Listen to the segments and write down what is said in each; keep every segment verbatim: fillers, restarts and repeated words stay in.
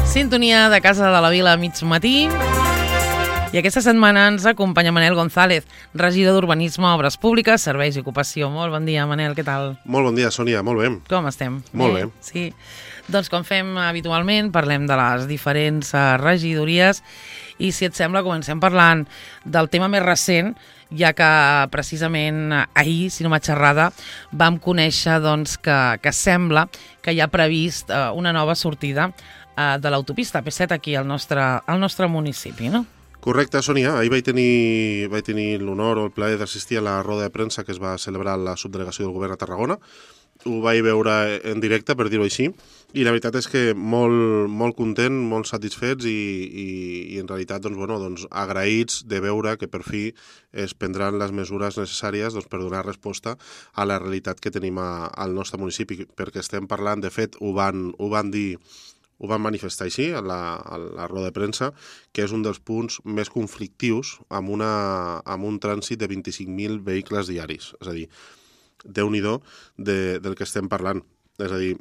Sintonia de Casa de la Vila a mig matí. I aquesta setmana ens acompanya Manel González, regidor d'Urbanisme, Obres Públiques, Serveis i Ocupació. Molt bon dia, Manel, què tal? Molt bon dia, Sònia, molt bé. Com estem? Molt bé. bé. Sí. Doncs com fem habitualment, parlem de les diferents regidories i, si et sembla, comencem parlant del tema més recent, ja que precisament ahir, si no m'ha xerrada, vam conèixer doncs, que, que sembla que hi ha previst eh, una nova sortida eh, de l'autopista P set aquí al nostre, al nostre municipi, no? Correcte, Sònia. Ahir vaig tenir, vaig tenir l'honor o el plaer d'assistir a la roda de premsa que es va celebrar a la subdelegació del govern a Tarragona. Ho vaig veure en directe, per dir-ho així, i la veritat és que molt, molt content, molt satisfets i, i, i en realitat doncs, bueno, doncs, agraïts de veure que per fi es prendran les mesures necessàries doncs, per donar resposta a la realitat que tenim a, al nostre municipi, perquè estem parlant, de fet, ho van, ho van dir ho van manifestar així a la, a la roda de premsa, que és un dels punts més conflictius amb, una, amb un trànsit de vint-i-cinc mil vehicles diaris. És a dir, déu-n'hi-do de, del que estem parlant. És a dir,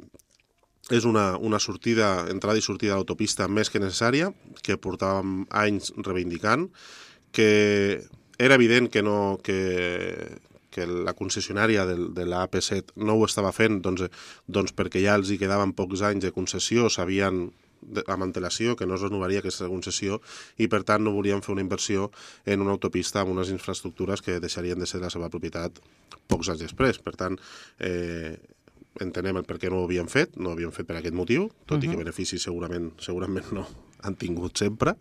és una, una sortida, entrada i sortida de l'autopista més que necessària, que portàvem anys reivindicant, que era evident que no... que que la concessionària de, de la A P set no ho estava fent doncs, doncs perquè ja els hi quedaven pocs anys de concessió, sabien de, amb antelació que no es renovaria aquesta concessió i per tant no volien fer una inversió en una autopista amb unes infraestructures que deixarien de ser la seva propietat pocs anys després. Per tant, eh, entenem el per què no ho havien fet, no ho havien fet per aquest motiu, tot uh-huh. i que beneficis segurament, segurament no han tingut sempre,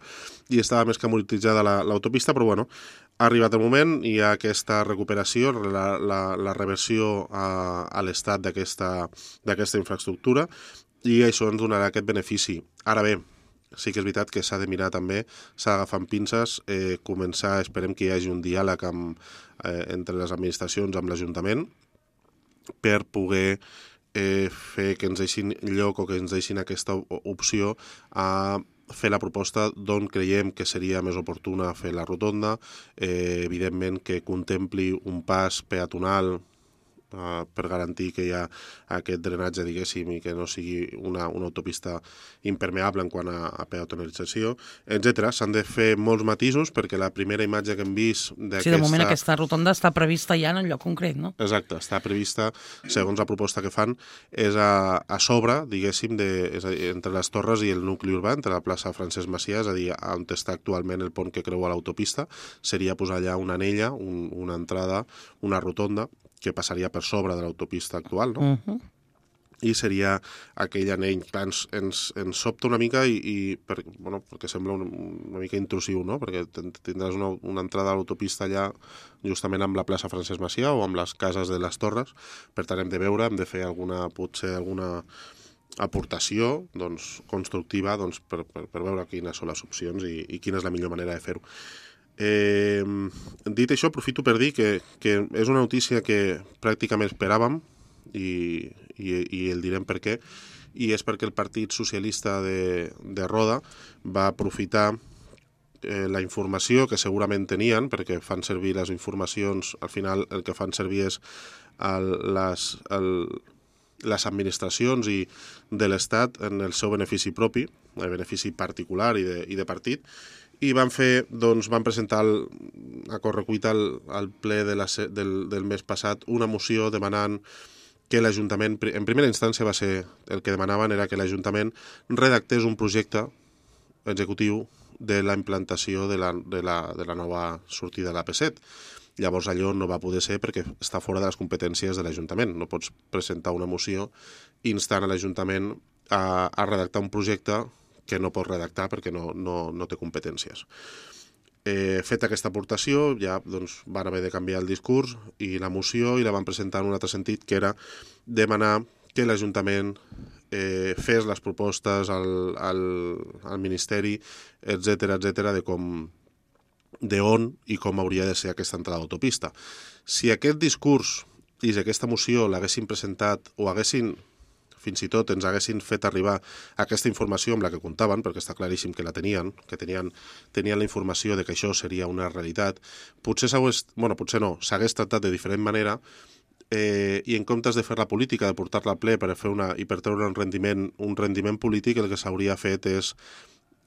i estava més que amortitzada l'autopista, però bueno, ha arribat el moment, hi ha aquesta recuperació, la, la, la reversió a, a l'estat d'aquesta infraestructura, i això ens donarà aquest benefici. Ara bé, sí que és veritat que s'ha de mirar també, s'ha d'agafar amb pinces, eh, començar, esperem que hi hagi un diàleg amb, eh, entre les administracions amb l'Ajuntament per poder eh, fer que ens deixin lloc o que ens deixin aquesta opció a fer la proposta d'on creiem que seria més oportuna fer la rotonda, eh, evidentment que contempli un pas peatonal Uh, per garantir que hi ha aquest drenatge, diguéssim, i que no sigui una, una autopista impermeable en quant a, a peatonalització, etcètera. S'han de fer molts matisos perquè la primera imatge que hem vist d'aquesta... Sí, de moment aquesta rotonda està prevista ja en un lloc concret, no? Exacte, està prevista, segons la proposta que fan, és a, a sobre, diguéssim, de, és a dir, entre les torres i el nucli urbà, entre la plaça Francesc Macià, és a dir, on està actualment el pont que creua l'autopista, seria posar allà una anella, un, una entrada, una rotonda, que passaria per sobre de l'autopista actual, no? Uh-huh. I seria aquell anell. Clar, ens, ens, ens sobta una mica i, i per, bueno, perquè sembla un, una mica intrusiu, no? Perquè tindràs una, una entrada a l'autopista allà justament amb la plaça Francesc Macià o amb les cases de les Torres. Per tant, hem de veure, hem de fer alguna, potser alguna aportació doncs, constructiva doncs, per, per, per veure quines són les opcions i, i quina és la millor manera de fer-ho. Eh, dit això, aprofito per dir que, que és una notícia que pràcticament esperàvem i, i, i el direm per què, i és perquè el Partit Socialista de, de Roda va aprofitar eh, la informació que segurament tenien, perquè fan servir les informacions, al final el que fan servir és el, les, el, les administracions i de l'Estat en el seu benefici propi, el benefici particular i de, i de partit, i van fer, doncs, van presentar el, a correcuita al, al ple de la, del, del mes passat una moció demanant que l'Ajuntament, en primera instància va ser, el que demanaven era que l'Ajuntament redactés un projecte executiu de la implantació de la, de la, de la nova sortida de la A P set. Llavors allò no va poder ser perquè està fora de les competències de l'Ajuntament. No pots presentar una moció instant a l'Ajuntament a, a redactar un projecte que no pot redactar perquè no, no, no té competències. Eh, feta aquesta aportació, ja doncs, van haver de canviar el discurs i la moció i la van presentar en un altre sentit, que era demanar que l'Ajuntament eh, fes les propostes al, al, al Ministeri, etcètera, etcètera, de com de on i com hauria de ser aquesta entrada d'autopista. Si aquest discurs i si aquesta moció l'haguessin presentat o haguessin fins i tot ens haguessin fet arribar aquesta informació amb la que comptaven, perquè està claríssim que la tenien, que tenien, tenien la informació de que això seria una realitat, potser s'hagués, bueno, potser no, s'hagués tractat de diferent manera, eh, i en comptes de fer la política, de portar-la a ple per fer una, i per treure un rendiment, un rendiment polític, el que s'hauria fet és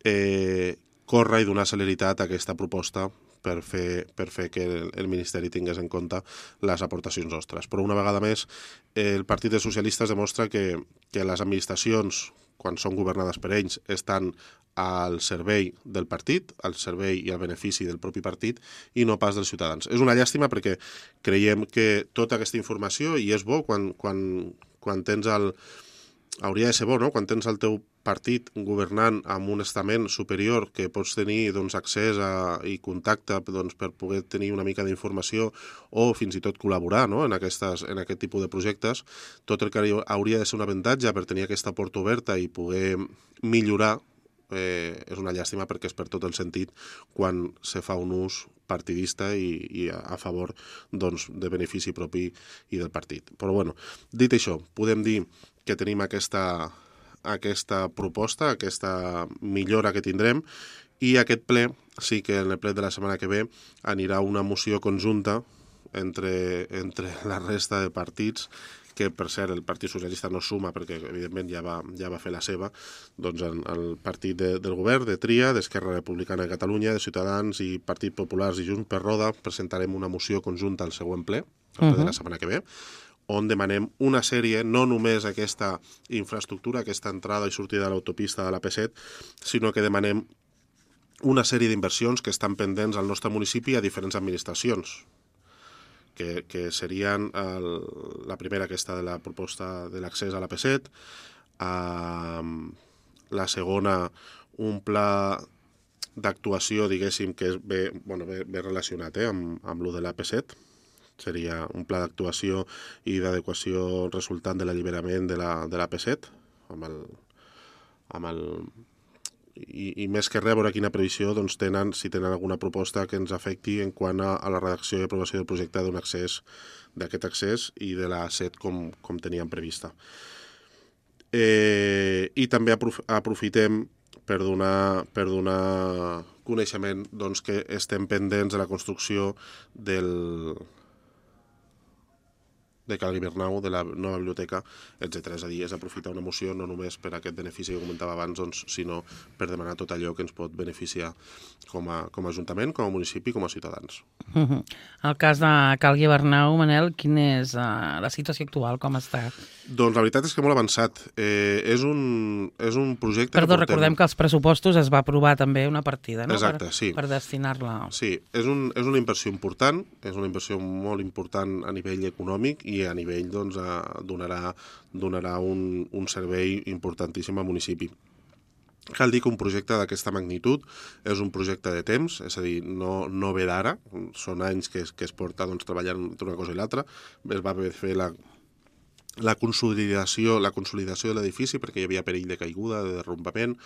eh, córrer i donar celeritat a aquesta proposta per fer, per fer que el, el Ministeri tingués en compte les aportacions nostres. Però una vegada més, eh, el Partit dels Socialistes demostra que, que les administracions, quan són governades per ells, estan al servei del partit, al servei i al benefici del propi partit i no pas dels ciutadans. És una llàstima perquè creiem que tota aquesta informació, i és bo quan, quan, quan tens el... hauria de ser bo, no?, quan tens el teu partit governant amb un estament superior que pots tenir doncs, accés a, i contacte doncs, per poder tenir una mica d'informació o fins i tot col·laborar, no?, en, aquestes, en aquest tipus de projectes, tot el que hauria de ser un avantatge per tenir aquesta porta oberta i poder millorar, eh, és una llàstima perquè és per tot el sentit quan se fa un ús partidista i, i a, a favor doncs, de benefici propi i del partit. Però bueno, dit això, podem dir que tenim aquesta, aquesta proposta, aquesta millora que tindrem, i aquest ple, sí que en el ple de la setmana que ve anirà una moció conjunta entre, entre la resta de partits, que per cert el Partit Socialista no suma perquè evidentment ja va, ja va fer la seva, doncs el, el partit de, del govern, de Tria, d'Esquerra Republicana de Catalunya, de Ciutadans i Partit Populars i Junts per Roda, presentarem una moció conjunta al següent ple, el ple uh-huh. de la setmana que ve, on demanem una sèrie, no només aquesta infraestructura, aquesta entrada i sortida de l'autopista de l'A P set, sinó que demanem una sèrie d'inversions que estan pendents al nostre municipi a diferents administracions, que, que serien el, la primera aquesta de la proposta de l'accés a l'A P set, eh, la segona un pla d'actuació, diguéssim, que és bé, bueno, bé, bé relacionat eh, amb, amb lo de l'A P set, seria un pla d'actuació i d'adequació resultant de l'alliberament de la, de l'A P set, amb el, amb el, i, i més que res, veure quina previsió doncs, tenen, si tenen alguna proposta que ens afecti en quant a, a la redacció i aprovació del projecte d'un accés, d'aquest accés i de l'A set com, com teníem prevista. Eh, I també aprof aprofitem per donar, per donar coneixement doncs, que estem pendents de la construcció del... de Cal Guibernau, de la nova biblioteca, etcètera. És a dir, és aprofitar una moció no només per aquest benefici que comentava abans, doncs, sinó per demanar tot allò que ens pot beneficiar com a, com a Ajuntament, com a municipi, com a ciutadans. Uh-huh. El cas de Cal Guibernau, Manel, quina és uh, la situació actual, com està? Doncs la veritat és que molt avançat. Eh, és, un, és un projecte... Perdó, que portem... recordem que als pressupostos es va aprovar també una partida, no? Exacte, per, sí. Per destinar-la... Sí, és, un, és una inversió important, és una inversió molt important a nivell econòmic i a nivell doncs, a, donarà, donarà un, un servei importantíssim al municipi. Cal dir que un projecte d'aquesta magnitud és un projecte de temps, és a dir, no, no ve d'ara, són anys que es, que es porta doncs, treballant entre una cosa i l'altra. Es va fer la, la consolidació, la consolidació de l'edifici perquè hi havia perill de caiguda, de derrumbament,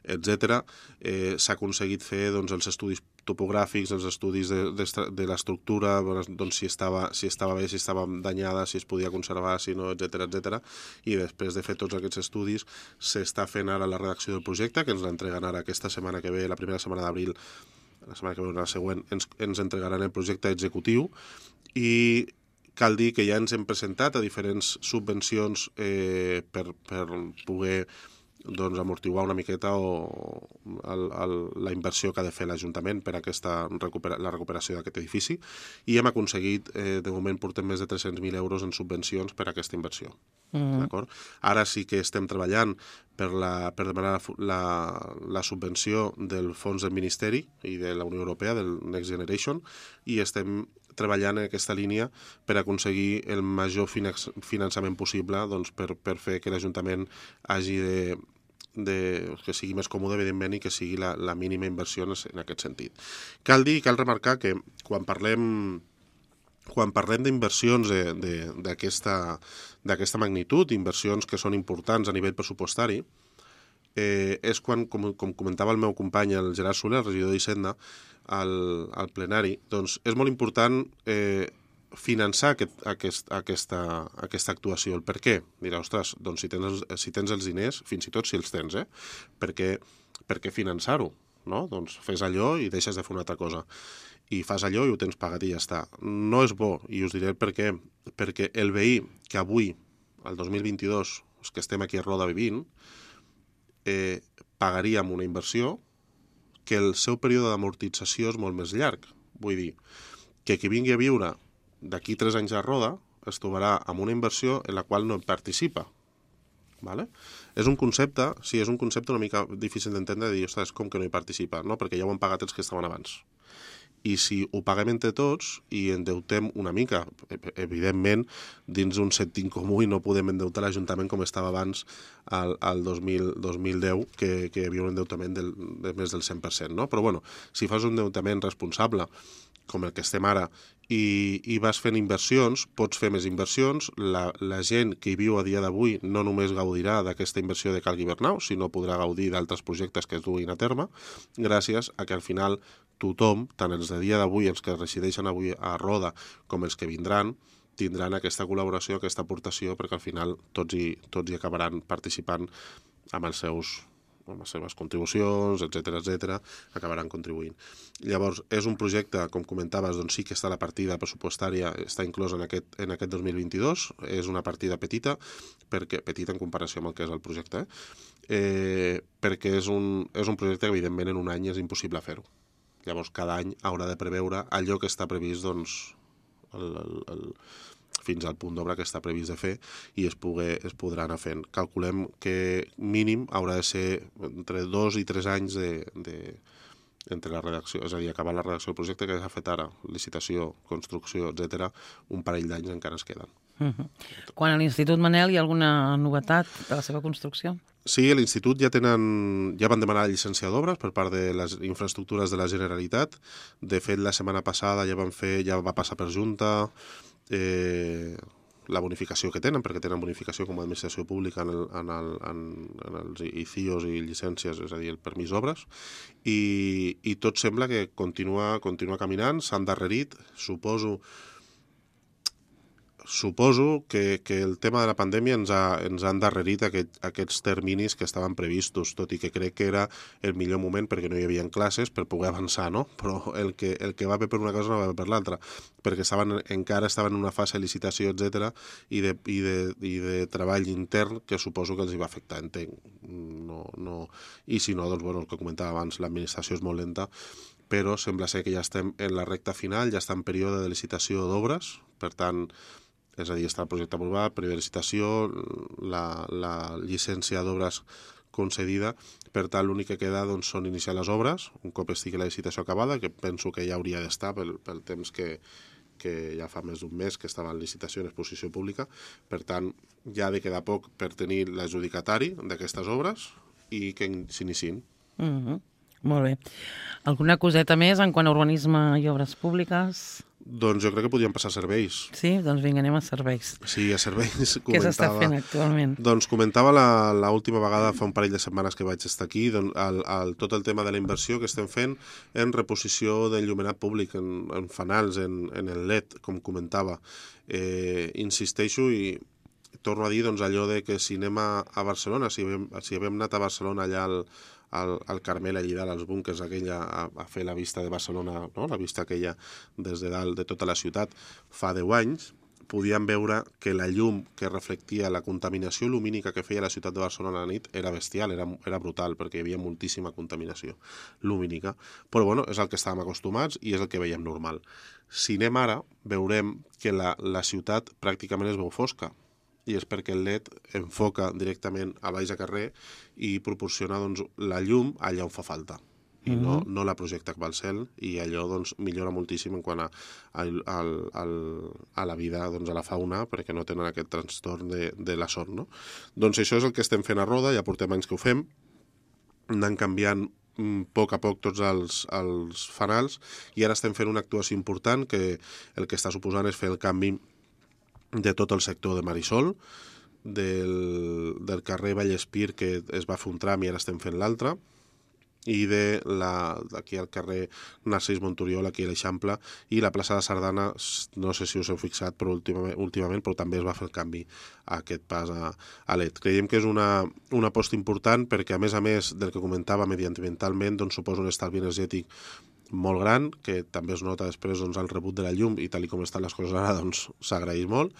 etcètera. Eh, S'ha aconseguit fer doncs, els estudis topogràfics, els estudis de, de, de l'estructura, doncs, si, estava, si estava bé, si estava danyada, si es podia conservar, si no, etcètera, etcètera. I després de fer tots aquests estudis s'està fent ara la redacció del projecte, que ens l'entreguen ara aquesta setmana que ve, la primera setmana d'abril, la setmana que ve, la següent, ens, ens entregaran el projecte executiu i cal dir que ja ens hem presentat a diferents subvencions eh, per, per poder doncs, amortiguar una miqueta o el, el, la inversió que ha de fer l'Ajuntament per a aquesta recupera, la recuperació d'aquest edifici i hem aconseguit, eh, de moment portem més de tres-cents mil euros en subvencions per a aquesta inversió. Mm. D'acord? Ara sí que estem treballant per, la, per demanar la, la subvenció del fons del Ministeri i de la Unió Europea, del Next Generation, i estem treballant en aquesta línia per aconseguir el major finançament possible doncs, per, per fer que l'Ajuntament hagi de, de, que sigui més còmode, evidentment, i que sigui la, la mínima inversió en aquest sentit. Cal dir, cal remarcar que quan parlem quan parlem d'inversions d'aquesta d'aquesta magnitud, inversions que són importants a nivell pressupostari, eh, és quan, com, com comentava el meu company, el Gerard Soler, el regidor d'Hisenda, al, al plenari, doncs és molt important eh, finançar aquest, aquest, aquesta, aquesta actuació. El per què? Dirà, ostres, doncs si tens, si tens els diners, fins i tot si els tens, eh? Per què, per què finançar-ho? No? Doncs fes allò i deixes de fer una altra cosa. i fas allò i ho tens pagat i ja està. No és bo, i us diré per què. Perquè el veí que avui, el dos mil vint-i-dos, els que estem aquí a Roda vivint, eh, pagaríem una inversió que el seu període d'amortització és molt més llarg. Vull dir, que qui vingui a viure d'aquí tres anys a Roda es trobarà amb una inversió en la qual no participa. Vale? És un concepte, sí, és un concepte una mica difícil d'entendre, de dir, ostres, com que no hi participa? No, perquè ja ho han pagat els que estaven abans. I si ho paguem entre tots i endeutem una mica, evidentment, dins d'un sentit comú i no podem endeutar l'Ajuntament com estava abans al, al dos mil deu, que, que hi havia un endeutament del, de més del cent per cent, no? Però bueno, si fas un endeutament responsable, com el que estem ara, i, i vas fent inversions, pots fer més inversions, la, la gent que hi viu a dia d'avui no només gaudirà d'aquesta inversió de Cal Guibernau, sinó podrà gaudir d'altres projectes que es duguin a terme, gràcies a que al final tothom, tant els de dia d'avui, els que resideixen avui a Roda, com els que vindran, tindran aquesta col·laboració, aquesta aportació, perquè al final tots hi, tots hi acabaran participant amb els seus amb les seves contribucions, etcètera, etcètera, acabaran contribuint. Llavors, és un projecte, com comentaves, doncs sí que està la partida pressupostària, està inclosa en aquest, en aquest dos mil vint-i-dos, és una partida petita, perquè petita en comparació amb el que és el projecte, eh? Eh, perquè és un, és un projecte que, evidentment, en un any és impossible fer-ho. Llavors, cada any haurà de preveure allò que està previst, doncs, el, el, el, fins al punt d'obra que està previst de fer i es, pugui, es podrà anar fent. Calculem que mínim haurà de ser entre dos i tres anys de, de, entre la redacció, és a dir, acabar la redacció del projecte que s'ha fet ara, licitació, construcció, etcètera, un parell d'anys encara es queden. Uh-huh. Quan a l'Institut Manel hi ha alguna novetat de la seva construcció? Sí, a l'Institut ja tenen, ja van demanar la llicència d'obres per part de les infraestructures de la Generalitat. De fet, la setmana passada ja van fer, ja va passar per Junta, eh, la bonificació que tenen, perquè tenen bonificació com a administració pública en, el, en, el, en, en els I C I Os i llicències, és a dir, el permís d'obres, i, i tot sembla que continua, continua caminant, s'ha endarrerit, suposo Suposo que, que el tema de la pandèmia ens ha, ens ha endarrerit aquest, aquests terminis que estaven previstos, tot i que crec que era el millor moment perquè no hi havia classes per poder avançar, no? Però el que, el que va bé per una cosa no va bé per l'altra, perquè estaven, encara estaven en una fase de licitació, etcètera, i de, i, de, i de treball intern que suposo que els hi va afectar, entenc. No, no... I si no, doncs, bueno, el que comentava abans, l'administració és molt lenta, però sembla ser que ja estem en la recta final, ja està en període de licitació d'obres, per tant, és a dir, està el projecte aprovat, període de licitació, la, la llicència d'obres concedida, per tant l'únic que queda doncs, són iniciar les obres, un cop estigui la licitació acabada, que penso que ja hauria d'estar pel, pel temps que, que ja fa més d'un mes que estava en licitació en exposició pública, per tant ja ha de quedar poc per tenir l'adjudicatari d'aquestes obres i que s'iniciïn. Mm-hmm. Molt bé. Alguna coseta més en quant a urbanisme i obres públiques? Doncs jo crec que podríem passar a serveis. Sí? Doncs vinga, anem a serveis. Sí, a serveis comentava... Què s'està fent actualment? Doncs comentava l'última vegada, fa un parell de setmanes que vaig estar aquí, doncs, el, el, tot el tema de la inversió que estem fent en reposició d'enllumenat públic, en, en fanals, en, en el L E D, com comentava. Eh, insisteixo i torno a dir doncs, allò de que si anem a, a Barcelona, si havíem, si havíem anat a Barcelona allà al, al, al Carmel, allà dalt, als búnquers aquella, a, a fer la vista de Barcelona, no? La vista aquella des de dalt de tota la ciutat, fa deu anys, podíem veure que la llum que reflectia la contaminació lumínica que feia la ciutat de Barcelona a la nit era bestial, era, era brutal, perquè hi havia moltíssima contaminació lumínica. Però bueno, és el que estàvem acostumats i és el que veiem normal. Si anem ara, veurem que la, la ciutat pràcticament es veu fosca, i és perquè el L E D enfoca directament a baix a carrer i proporciona doncs, la llum allà on fa falta. I mm-hmm. no, no la projecta cap al cel, i allò doncs, millora moltíssim en quant a, a, a, a, a la vida, doncs, a la fauna, perquè no tenen aquest trastorn de, de la son. No? Doncs això és el que estem fent a Roda, ja portem anys que ho fem, anant canviant a poc a poc tots els, els fanals, i ara estem fent una actuació important que el que està suposant és fer el canvi de tot el sector de Marisol, del, del carrer Vallespir, que es va fer un tram i ara estem fent l'altre, i de la, d'aquí al carrer Narcís Monturiol, aquí a l'Eixample, i la plaça de Sardana, no sé si us heu fixat, però últimament, últimament però també es va fer el canvi a aquest pas a, a L E D. Creiem que és una, una aposta important perquè, a més a més del que comentava mediambientalment, doncs suposa un estalvi energètic molt gran, que també es nota després doncs, el rebut de la llum i tal com estan les coses ara doncs s'agraeix molt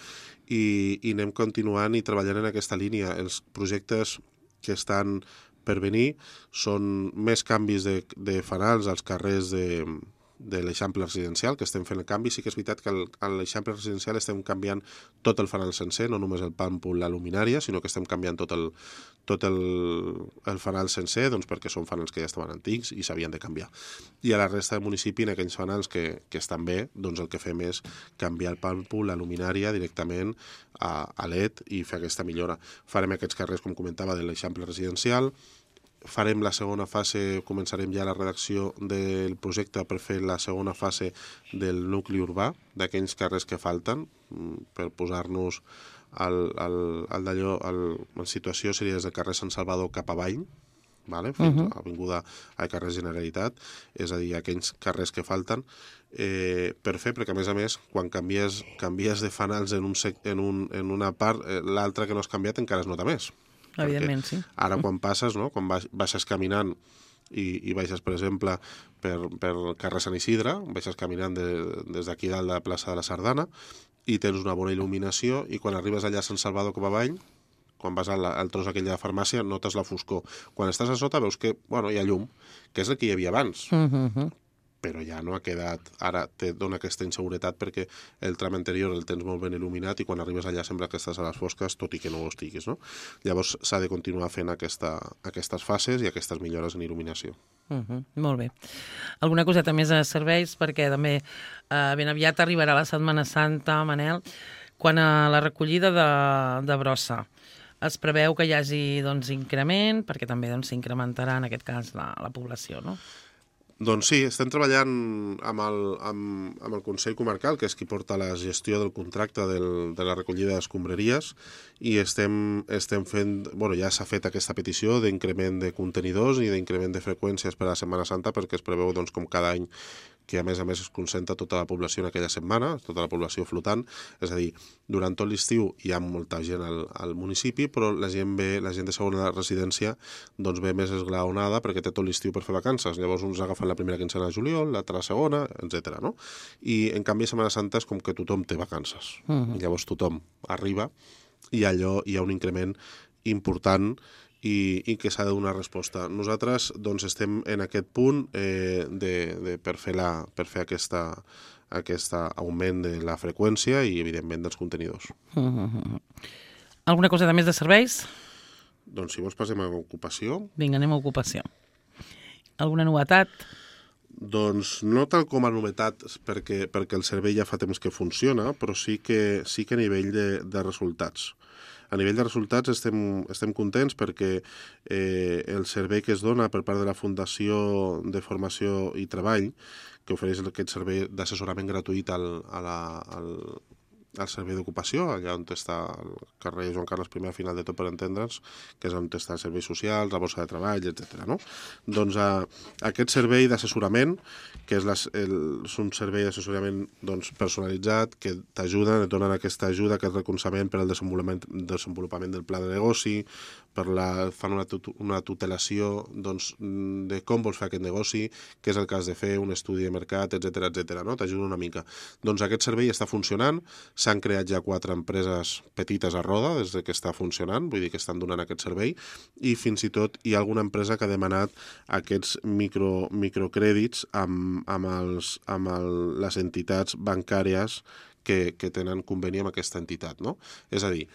i, i anem continuant i treballant en aquesta línia. Els projectes que estan per venir són més canvis de, de fanals als carrers de, de l'Eixample Residencial, que estem fent el canvi. Sí que és veritat que al, a l'Eixample Residencial estem canviant tot el fanal sencer, no només el pàmpol, la luminària, sinó que estem canviant tot el, tot el, el fanal sencer, doncs perquè són fanals que ja estaven antics i s'havien de canviar. I a la resta del municipi, en aquells fanals que, que estan bé, doncs el que fem és canviar el pàmpol, la luminària directament a, a L E D i fer aquesta millora. Farem aquests carrers, com comentava, de l'Eixample Residencial. Farem la segona fase, començarem ja la redacció del projecte per fer la segona fase del nucli urbà, d'aquells carrers que falten, per posar-nos al, al, al d'allò, al, en situació seria des del carrer Sant Salvador cap avall, vale? Fins uh -huh. a Avinguda a carrer Generalitat, és a dir, aquells carrers que falten, eh, per fer, perquè a més a més, quan canvies, canvies de fanals en, un sec, en, un, en una part, eh, l'altra que no has canviat encara es nota més. Evidentment, sí. Ara quan passes, no? Quan baixes caminant i, i baixes, per exemple, per, per carrer Sant Isidre, baixes caminant de, des d'aquí dalt de la plaça de la Sardana i tens una bona il·luminació i quan arribes allà a Sant Salvador cap avall, quan vas al, al tros aquell de la farmàcia, notes la foscor. Quan estàs a sota veus que, bueno, hi ha llum, que és el que hi havia abans. Uh -huh. Però ja no ha quedat, ara te dona aquesta inseguretat perquè el tram anterior el tens molt ben il·luminat i quan arribes allà sembla que estàs a les fosques, tot i que no ho estiguis, no? Llavors s'ha de continuar fent aquesta, aquestes fases i aquestes millores en il·luminació. Uh -huh. Molt bé. Alguna coseta més de serveis, perquè també eh, ben aviat arribarà la Setmana Santa, Manel, quan a la recollida de, de brossa es preveu que hi hagi doncs, increment, perquè també doncs, s'incrementarà en aquest cas la, la població, no? Doncs sí, estem treballant amb el, amb, amb el Consell Comarcal, que és qui porta la gestió del contracte del, de la recollida d'escombraries, i estem, estem fent, bueno, ja s'ha fet aquesta petició d'increment de contenidors i d'increment de freqüències per a la Setmana Santa, perquè es preveu, doncs, com cada any, que a més a més es concentra tota la població en aquella setmana, tota la població flotant, és a dir, durant tot l'estiu hi ha molta gent al, al municipi, però la gent ve, la gent de segona residència doncs ve més esglaonada perquè té tot l'estiu per fer vacances, llavors uns agafen la primera quincena de juliol, l'altra la segona, etcètera. No? I en canvi a Setmana Santa és com que tothom té vacances, uh -huh. i llavors tothom arriba i allò hi ha un increment important i, i que s'ha de donar resposta. Nosaltres doncs, estem en aquest punt eh, de, de, per fer, la, per fer aquesta, aquest augment de la freqüència i, evidentment, dels contenidors. Uh -huh. Alguna cosa de més de serveis? Doncs si vols passem a ocupació. Vinga, anem a ocupació. Alguna novetat? Doncs no tal com a novetat, perquè, perquè el servei ja fa temps que funciona, però sí que, sí que a nivell de, de resultats. A nivell de resultats estem, estem contents perquè eh, el servei que es dona per part de la Fundació de Formació i Treball, que ofereix aquest servei d'assessorament gratuït al, a la, al, al servei d'ocupació, allà on està el carrer Joan Carles I, al final de tot per entendre'ns, que és on està els serveis socials, la borsa de treball, etcètera. No? Doncs a, aquest servei d'assessorament, que és, les, el, és un servei d'assessorament doncs, personalitzat, que t'ajuda, et donen aquesta ajuda, aquest recolzament per al desenvolupament, desenvolupament del pla de negoci, per la, fan una, tut, una tutelació doncs, de com vols fer aquest negoci, què és el que has de fer, un estudi de mercat, etcètera, etcètera. No? T'ajuda una mica. Doncs aquest servei està funcionant, s'han creat ja quatre empreses petites a roda des que està funcionant, vull dir que estan donant aquest servei, i fins i tot hi ha alguna empresa que ha demanat aquests micro, microcrèdits amb, amb, els, amb el, les entitats bancàries que, que tenen conveni amb aquesta entitat. No? És a dir,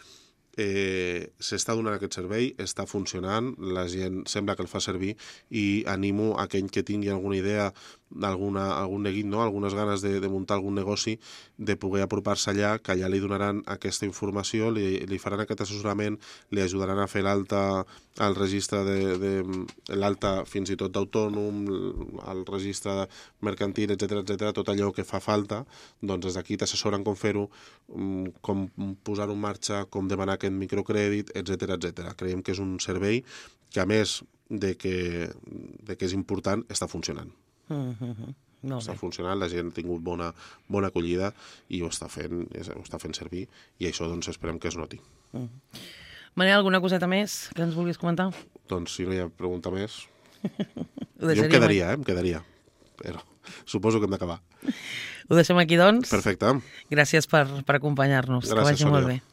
Eh, s'està donant aquest servei, està funcionant, la gent sembla que el fa servir i animo a aquell que tingui alguna idea, alguna, algun neguit, no? Algunes ganes de, de muntar algun negoci, de poder apropar-se allà, que allà li donaran aquesta informació, li, li faran aquest assessorament, li ajudaran a fer l'alta al registre de, de l'alta fins i tot d'autònom, al registre mercantil, etcètera, etcètera, tot allò que fa falta, doncs des d'aquí t'assessoren com fer-ho, com posar-ho en marxa, com demanar aquest microcrèdit, etcètera, etcètera. Creiem que és un servei que, a més de que, de que és important, està funcionant. Uh -huh. No, està bé. funcionant, la gent ha tingut bona, bona acollida i ho està fent, ho està fent servir, i això doncs esperem que es noti. Uh -huh. Manel, alguna coseta més que ens vulguis comentar? Doncs si no hi ha pregunta més... jo em quedaria, eh? Em quedaria. Però... suposo que hem d'acabar. Ho deixem aquí, doncs. Perfecte. Gràcies per, per acompanyar-nos. Que Gràcies, vagi molt Sònia. bé.